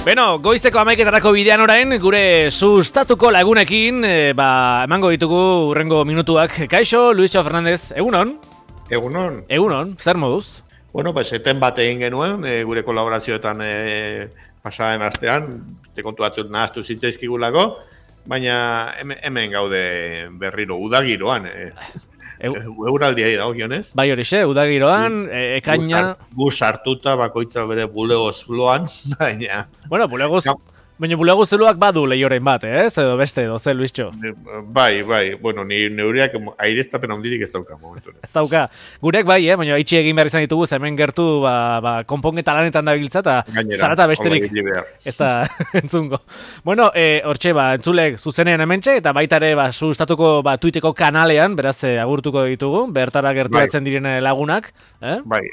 Beno, goizteko 11etarako bidean orain, gure sustatuko lagunekin, emango ditugu hurrengo minutuak. Kaixo, Luisio Fernandez, egunon? Egunon. Egunon, zer moduz? Bueno, pues eten bat egin genuen, gure kolaborazioetan pasaren astean, kontu batzuk nahaztu zitzaizkigulako, baina hemen gaude berriro, udagiroan. Euraldia dagokionez. Bai horixe, udagiroan, ekaina... Gu sartuta bakoitza bere bulego zuloan, baina... Bueno, bulego zuloak badu lehioren bat, edo beste, edo ze, Luisio? Bai, bueno, neureak aireztapen handirik ez dauka momentu. Ez dauka. Gurek bai, baina itxi egin behar izan ditugu, hemen gertu konponketa lanetan dabiltza, eta zarata besterik ez da entzungo. Bueno, hortxe, entzulek zuzenean hementxe, eta baita ere, sustatuko tuiteko kanalean, beraz, agurtuko ditugu, bertara gerturatzen direne lagunak. Bai,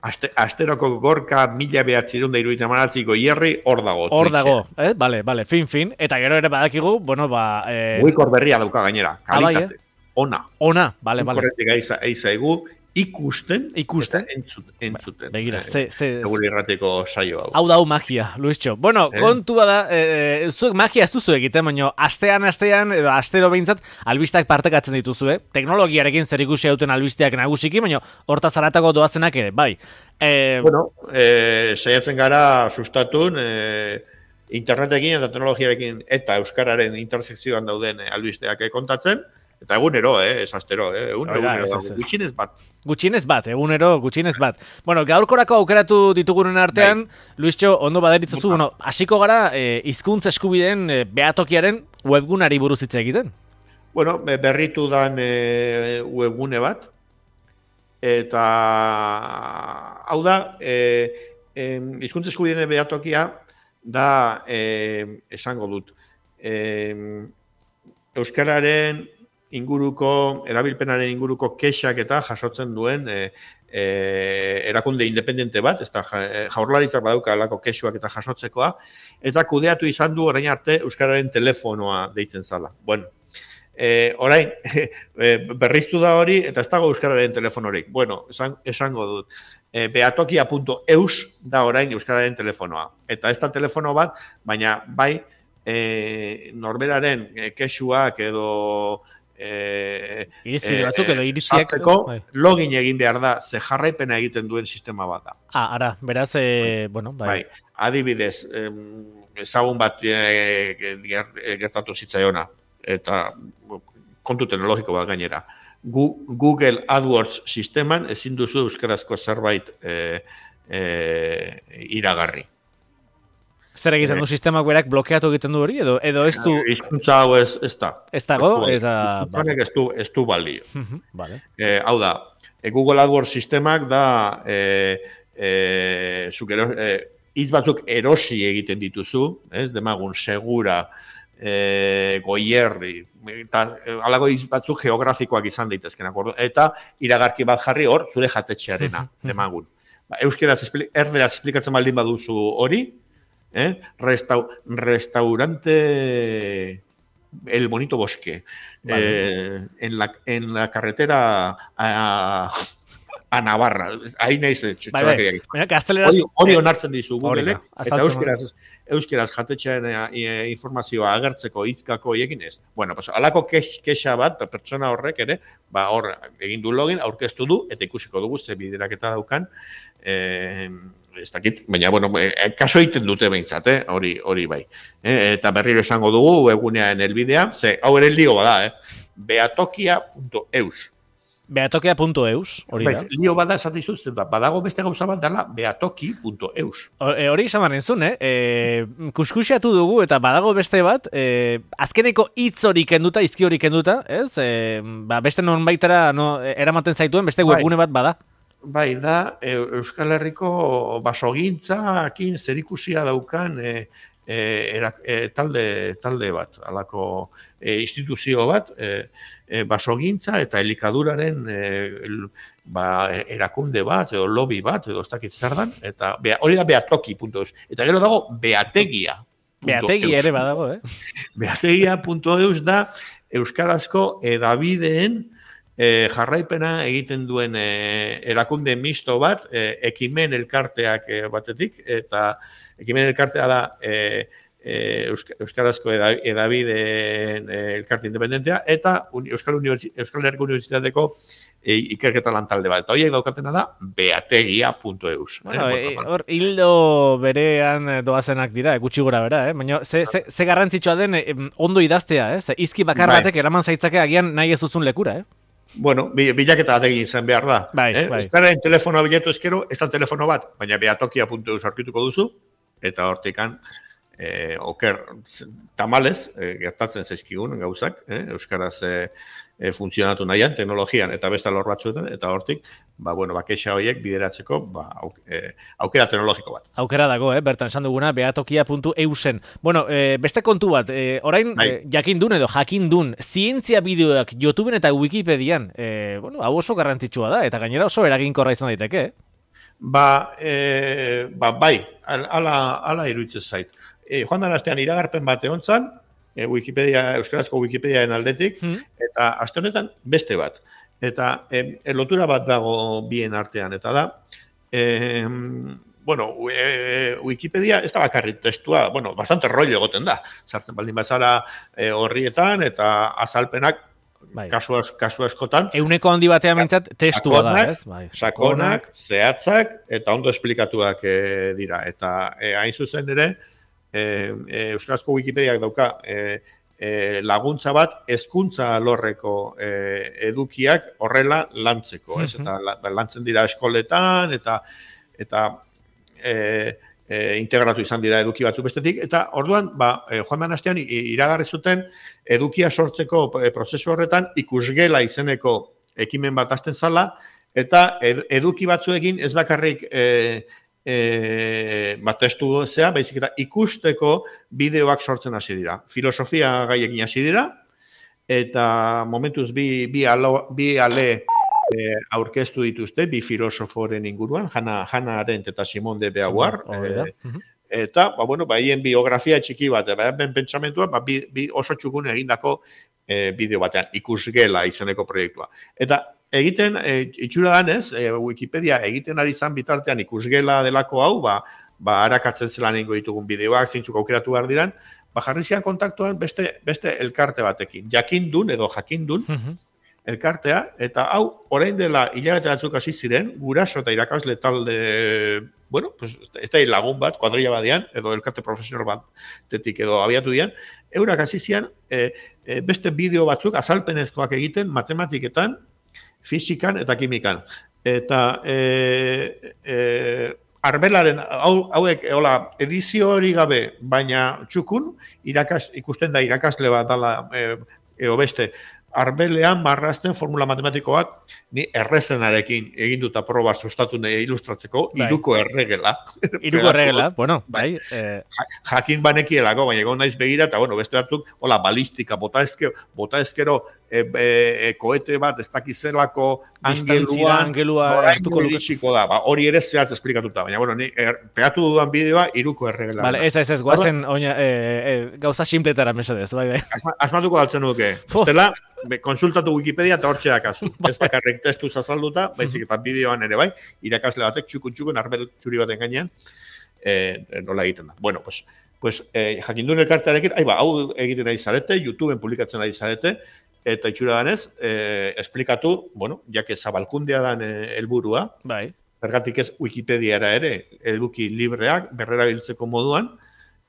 Asteroko gorka 1978ko hierri hor dago. Hor dago, bale, fin. Eta gero ere badakigu, Muikor berria dauka gainera, kalitate. Ona, bale. Korretik aizaigu, ikusten. Entzuten. Begira, Egure irrateko saio hau. Hau magia, Luisio. Bueno, kontua da, zuek magia ez duzu egiten, baina astean, edo astero behintzat, albistak partekatzen dituzue. Teknologiarekin zer ikusi hauten albisteak nagusiki, baina horta zaratako doazenak ere, bai. Bueno, saiatzen gara sustatun, internetekin eta teknologiarekin eta euskararen intersekzioan dauden albisteak kontatzen, eta egunero, ez astero, egunero, Gutxienez bat. Bueno, gaurkorako aukeratu ditugunen artean, Luisio, ondo baderitzuzu, hasiko gara hizkuntza eskubideen behatokiaren webgunari buruz hitz egiten? Bueno, berritu dan webgune bat, eta hau da, hizkuntza eskubideen behatokia da, esango dut, euskararen inguruko, erabilpenaren inguruko kexak eta jasotzen duen erakunde independente bat, ez da Jaurlaritzak badauka alako kexuak eta jasotzekoa, eta kudeatu izan du orain arte euskararen telefonoa deitzen zala. Bueno, orain, berriztu da hori, eta ez dago euskararen telefonorik. Bueno, esango dut, behatokia.eus da orain euskararen telefonoa. Eta ez da telefono bat, baina bai norberaren kexuak edo irizpide batzuk edo iriziak login egin behar da, ze jarraipena egiten duen sistema bat da. Ara, beraz, bai. Adibidez, ezagun bat gertatu zitzaiona, eta kontu teknologiko bat gainera. Google AdWords sisteman ezin duzu euskarazko zerbait iragarri. Zer egiten du sistemak berak blokeatu egiten du hori, edo ez du... Hizkuntza hau ez da. Ez dago, eta... Hizkuntzanek ez du balio. Vale. Hau da, Google AdWords sistemak da hitz batzuk erosi egiten dituzu, demagun segura, goierri, eta alako hitz batzuk geografikoak izan daitezken, eta iragarki bat jarri hor, zure jatetxearena, demagun. Euskeraz, erderaz esplikatzen baldin baduzu hori, restaurante El Bonito Bosque, vale. En la carretera a Navarra, ahí naiz hori onartzen dizu Googleek, eta euskeraz jatetxearen informazioa agertzeko hitzkako egin ez. Bueno, pues alako kexa bat, pertsona horrek ere, hor egin du login, aurkeztu du, eta ikusiko dugu ze bideraketa daukan, ez dakit, baina, bueno, kaso egiten dute behintzat, hori bai. Eta berriro esango dugu, webgunean elbidea, ze, hau ere lio bada, behatokia.eus. Behatokia.eus, hori da. Lio bada esatizuz, badago beste gauza bat dela, behatoki.eus. Hori izan enzun, kuskusiatu dugu, eta badago beste bat, azkeneko hitz hori kenduta, izki hori kenduta, ez? Beste non baitara eramaten zaituen, beste webgune bat bada. Bai, da, Euskal Herriko basogintzakin zerikusia daukan talde bat, alako instituzio bat, basogintza eta elikaduraren erakunde bat, edo lobby bat, edo ez dakit zer dan, eta hori da behatoki.eus. Eta gero dago behategia. Behategia ere badago, Behategia.eus da euskarazko edabideen jarraipena egiten duen erakunde misto bat, ekimen elkarteak batetik, eta ekimen elkartea da Euskarazko edabideen elkarte independentea, eta Euskal Herriko Unibertsitateko ikerketa lantalde bat. Eta horiek daukatena da beategia.eus. Hor, hildo berean doazenak dira, gutxi gora bera, baina ze garrantzitsua den ondo idaztea, izki bakar batek eraman zaitzake agian nahi ez duzun lekura, Bueno, bilaketa bat egin izan behar da. Euskararen telefonoa bilatu ezkero, ez da telefono bat, baina beatokia.eus aurkituko duzu, eta hortikan oker tamalez, gertatzen zaizkigun gauzak, Euskaraz funtzionatu nahian, teknologian eta beste alor batzuetan, eta hortik, kexa horiek bideratzeko aukera teknologiko bat. Aukera dago, bertan esan duguna, beatokia.eusen. Bueno, beste kontu bat, orain jakindun edo jakindun, zientzia bideoak YouTubeen eta Wikipedian, hau oso garrantzitsua da, eta gainera oso eraginkorra izan daiteke, bai, ala iruditzen zait. Joan den astean iragarpen bat egontzan, Euskarazko Wikipediaen aldetik, eta aste honetan beste bat. Eta lotura bat dago bien artean, eta da, Wikipedia ez da bakarrik testua, bastante rollo egoten da. Sartzen baldin bazara horrietan, eta azalpenak kasu askotan. Euneko handi batean mintzat testua da, ez? Sakonak, zehatzak, eta ondo esplikatuak dira. Eta hain zuzen ere, Euskarazko Wikipediak dauka laguntza bat hezkuntza alorreko edukiak horrela lantzeko, ez? Eta lantzen dira eskoletan eta integratu izan dira eduki batzuk bestetik, eta orduan, joan den astean iragarri zuten edukia sortzeko prozesu horretan ikusgela izeneko ekimen bat hasten zala, eta eduki batzuekin ez bakarrik testu zea, baizik eta ikusteko bideoak sortzen hasi dira. Filosofia gaiekin hasi dira, eta momentuz bi ale aurkeztu dituzte, bi filosoforen inguruan, Hannah Arendt eta Simone de Beauvoir, eta, haien biografia txiki bat, ben pentsamentua, bi oso txukun egindako bideo batean, ikusgela izeneko proiektua. Eta egiten, itxura danez, Wikipedia egiten ari zan bitartean ikusgela delako hau, harakatzen zelan ingo ditugun bideoak, zeintzuk aukeratu behar diran, jarri zian kontaktuan beste elkarte batekin, jakindun edo jakindun elkartea, eta hau, orain dela hilabete batzuk hasi ziren, guraso eta irakasle talde, ez da lagun bat, kuadrilla batean, edo elkarte profesional batetik edo abiatu dian, eurak hasi zian, beste bideo batzuk azalpenezkoak egiten matematiketan, fisikan eta kimikan. Eta arbelaren hauek edizio hori gabe, baina txukun, ikusten da irakasle bat dala beste, arbelean marrazten formula matematikoak ni errezenarekin egin dut proba sustatu nahi ilustratzeko, iruko erregela. Iruko erregela, bai. Jakin banekielako, baina egon naiz begira, eta beste batzuk, balistika, bota ezkero, koete bat, ez dakizelako angelua hartuko iritsiko da. Hori ere zehatz esplikatuta, baina, ni pegatu dudan bideoa iruko erregela. Vale, ez, guazen gauza simpletara mesedez, bai. Asmatuko daltzen duke. Estela, konsultatu Wikipedia eta hortxe dakazu. Ez bakarrik testu zazalduta, baizik eta bideoan ere bai, irakasle batek txukun arbel txuri baten gainean, nola egiten da. Bueno, pues jakindun elkartearekin, hau egiten ari zarete, YouTubeen publikatzen ari zarete, eta itxura danez, esplikatu, jake zabalkundea dan helburua, zergatik ez Wikipediara ere, eduki libreak, berrera biltzeko moduan,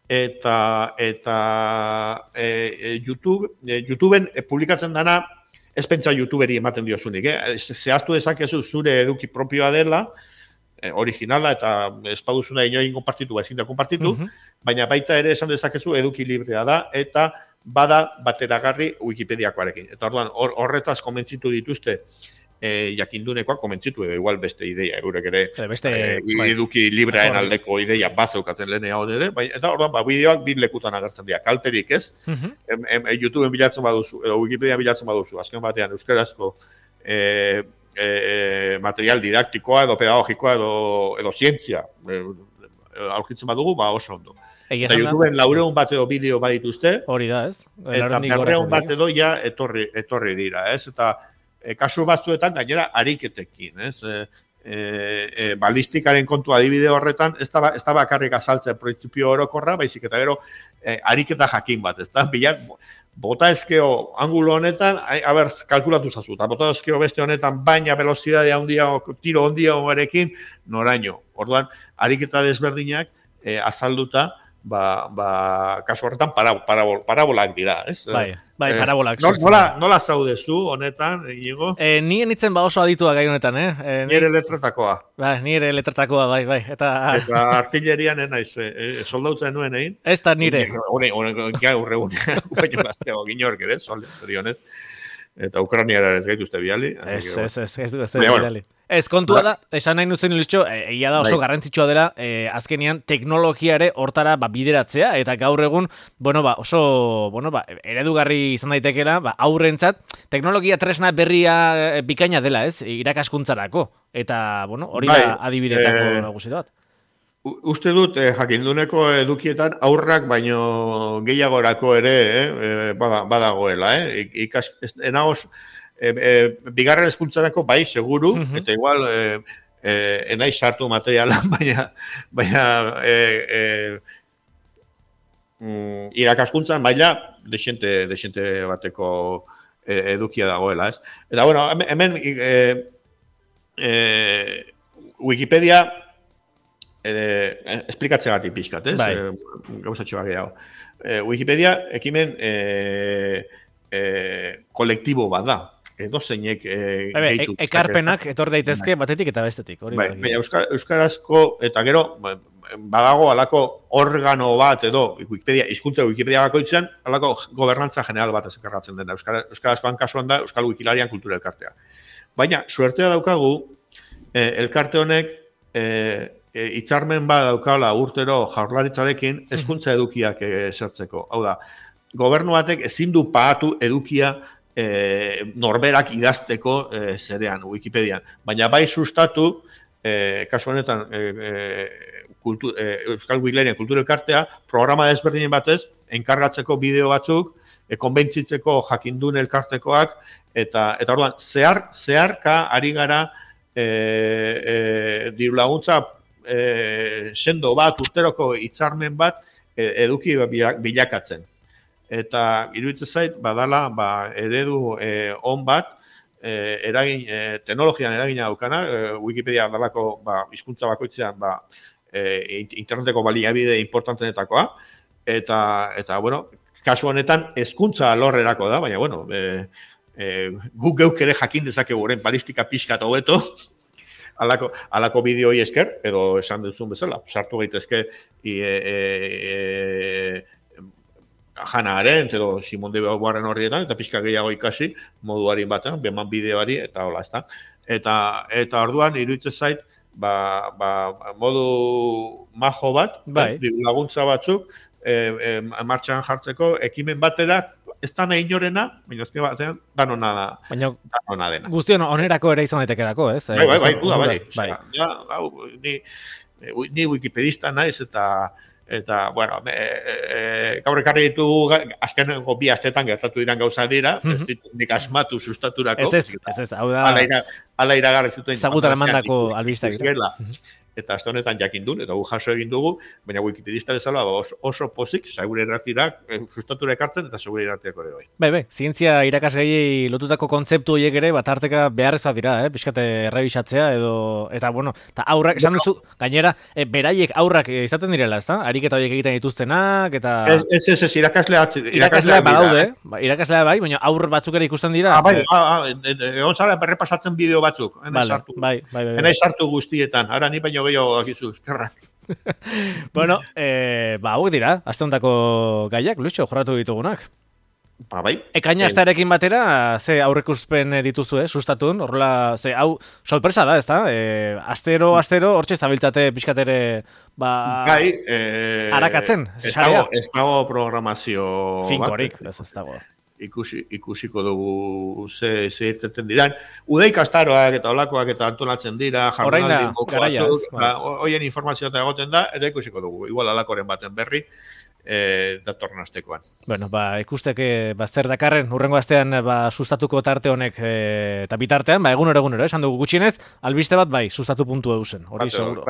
eta YouTubeen publikatzen dana, ez pentsa YouTuberi ematen diozunik, zehaztu dezakezu zure eduki propioa dela, originala eta espaduzuna inoen konpartitu, ezin da konpartitu, baina baita ere esan dezakezu eduki librea da, eta bada bateragarri Wikipediakoarekin. Eta horretaz komentzitu dituzte jakindunekoak komentzitu, edo igual beste ideia, eurek ere eduki libreaen aldeko ideia bazeukaten lehenea hori ere, eta orduan bideoak bi lekutan agertzen dira, kalterik ez, YouTubeen bilatzen baduzu, edo Wikipedia bilatzen baduzu, azken batean euskarazko material didaktikoa edo pedagogikoa edo zientzia aurkitzen badugu, oso ondo. Eta YouTubeen 400 bat edo bideo badituzte, hori da, ez? Eta 400 bat edo ja etorri dira, ez? Eta kasu batzuetan gainera ariketekin, ez? Balistikaren kontu adibide horretan, ez da bakarrik azaltzen printzipio orokorra, baizik eta gero ariketa jakin bat, ez da? Bilat, bota ezkeo angulo honetan, kalkulatu zazu, eta bota ezkeo beste honetan, baina velozidadea handia, tiro handia honerekin, noraino. Orduan, ariketa desberdinak azalduta, kasu horretan parabolak dira, ez? Bai, parabolak. Nola zaudezu honetan, Iñigo? Ni enitzen oso aditua gai honetan, Nire letratakoa. Nire letratakoa, bai. Eta artillerian naiz, soldautzen nuen egin? Ez da nire. Gaur egun, baino gaztego ginork ere, soldautzen. Eta Ukrainiara ez gaituzte bidali. Ez bidali. Ez, kontua da, esan nahi nuzen ilutxo, egia da oso garrantzitsua dela, azkenean teknologiare hortara bideratzea, eta gaur egun, oso eredugarri izan daitekela, aurrentzat, teknologia tresna berria bikaina dela, ez, irakaskuntzarako, eta, hori da adibidetako nagusi bat. Uste dut, jakinduneko edukietan aurrak baino gehiagorako ere badagoela. Enagoz, bigarren hezkuntzarako bai, seguru, eta igual enaiz sartu materialan, baina irakaskuntzan baila desente bateko edukia dagoela. Eta, hemen Wikipedia esplikatzegatik pixkat, ez? Gauzatxoa gehiago. Wikipedia ekimen kolektibo bat da. Edo zeinek gehitu. Ekarpenak etor daitezke batetik eta bestetik. Euskarazko eta gero badago alako organo bat edo hizkuntza Wikipedia bakoitzean alako gobernantza general bat ezekarratzen dena. Euskarazkoan kasuan da Euskal Wikilarian kultura elkartea. Baina, suertea daukagu, elkarte honek hitzarmen bat daukala urtero jaurlaritzarekin hezkuntza edukiak sortzeko. Hau da, gobernu batek ezin du pagatu edukia norberak idazteko zerean, Wikipedian. Baina bai sustatu, kasu honetan, Euskal Wikilarian kultura elkartea, programa desberdinen batez, enkargatzeko bideo batzuk, konbentzitzeko jakindun elkartekoak, eta orduan, zeharka ari gara diru laguntza sendo bat, urteroko hitzarmen bat eduki bilakatzen. Eta iruditzen zait, badala eredu on bat, teknologian eragina daukana, Wikipedia dalako hizkuntza bakoitzean interneteko baliabide importantenetakoa, eta kasu honetan hezkuntza alorrerako da, baina, guk geuk ere jakin dezakegu oren balistika pixkat hobeto, alako bideoi esker, edo esan duzun bezala, sartu gaitezke Hannah Arendt edo Simone de Beauvoiren horrietan, eta pixka gehiago ikasi moduari batean, beman bideoari, eta hola, ez da. Eta orduan, iruditzen zait, modu majo bat, laguntza batzuk, martxan jartzeko, ekimen batera, ez da nahi inorena, baina ezke batean, danona dena. Guztion onerako ere izan daitekerako, ez? Bai. Ni wikipedista naiz eta gaur ekarri ditugu azkeneko 2 astetan gertatu diran gauza dira, ez ditut nik asmatu sustaturako. Ez, hau da... Ala iragarri zuten... Zagutara mandako albistak. Eta azte honetan jakin duen, eta gu jaso egin dugu, baina wikipedista bezala oso pozik, segure irratirak, sustatura ekartzen, eta segure irratiak ere bai. Bai, zientzia irakasgaiei lotutako kontzeptu horiek ere, tarteka beharrezkoa dira, pixkate errebisatzea, eta aurrak, esan duzu, gainera, beraiek aurrak izaten direla, ezta? Ariketa horiek egiten dituztenak, eta... Ez, irakaslea badaude, irakaslea bai, baina aur batzuk ere ikusten dira. Egon zara berrepasatzen bideo batzuk, enai sartu guztietan, ara ni baino gehiago akizu, eskerrak. Bueno, hauek dira, azte hondako gaiak, Luixo, jorratu ditugunak. Bai. Ekaina astarekin batera, ze aurrekuspen dituzu, sustatun, horrela, ze, hau, sorpresa da, ezta? Astero, hortxe zabiltzate pixkatere, harakatzen, sarea. Ez dago programazio finkorik, ez dago. Ikusiko dugu ze irteten diran. Udeik astaroak eta olakoak eta antolatzen dira, jardunaldi moko batzuk, hoien informazioa eta egoten da, eta ikusiko dugu. Igual alakoren baten berri, datorren astekoan. Bueno, ikusteke zer dakarren urrengo astean sustatuko tarte honek eta bitartean, egunero, esan dugu gutxienez, albiste bat sustatu puntu eusen, hori seguro.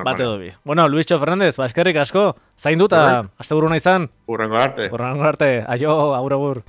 Bate dobi. Bueno, Luistxo Fernandez, eskerrik asko, zaindu eta asteburu nahi izan. Urrengo arte. Aio, agur.